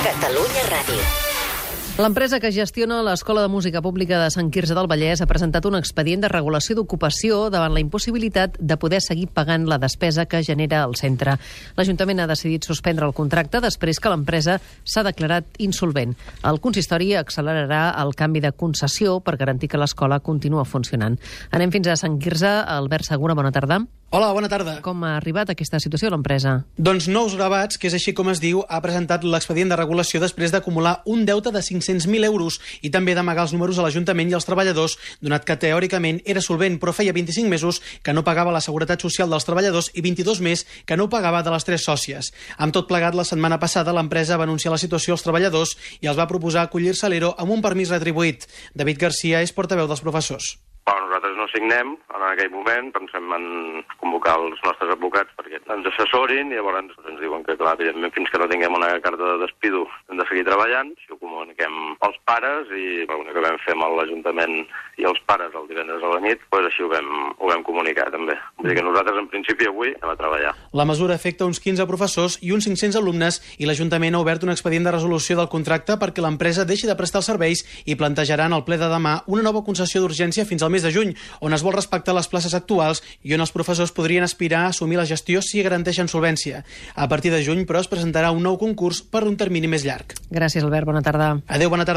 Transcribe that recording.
Catalunya Ràdio. L'empresa que gestiona l'Escola de Música Pública de Sant Quirze del Vallès ha presentat un expedient de regulació d'ocupació davant la impossibilitat de poder seguir pagant la despesa que genera el centre. L'Ajuntament ha decidit suspendre el contracte després que l'empresa s'ha declarat insolvent. El consistori accelerarà el canvi de concessió per garantir que l'escola continua funcionant. Anem fins a Sant Quirze. Albert Segura, bona tarda. Hola, bona tarda. Com ha arribat aquesta situació l'empresa? Doncs Nous Gravats, que és així com es diu, ha presentat l'expedient de regulació després d'acumular un deute de 500.000 euros i també d'amagar els números a l'Ajuntament i als treballadors, donat que teòricament era solvent, però feia 25 mesos que no pagava la Seguretat Social dels treballadors i 22 més que no pagava de les 3 sòcies. Amb tot plegat, la setmana passada l'empresa va anunciar la situació als treballadors i els va proposar acollir-se a l'ERO amb un permís retribuït. David Garcia és portaveu dels professors. Nosaltres no signem en aquell moment, pensem en convocar els nostres advocats perquè ens assessorin i llavors ens diuen que, clar, evidentment, fins que no tinguem una carta de despido hem de seguir treballant. Si ho comuniquem als pares i l'únic que vam fer amb l'Ajuntament i els pares el divendres a la nit, doncs així ho vam comunicar també. Vull dir que nosaltres, en principi, avui anem a treballar. La mesura afecta uns 15 professors i uns 500 alumnes i l'Ajuntament ha obert un expedient de resolució del contracte perquè l'empresa deixi de prestar els serveis i plantejarà en el ple de demà una nova concessió d'urgència fins al mes de juny, on es vol respectar les places actuals i on els professors podrien aspirar a assumir la gestió si garanteixen solvència. A partir de juny, però, es presentarà un nou concurs per un termini més llarg. Gràcies, Albert. Bona tarda. Adéu, bona tarda.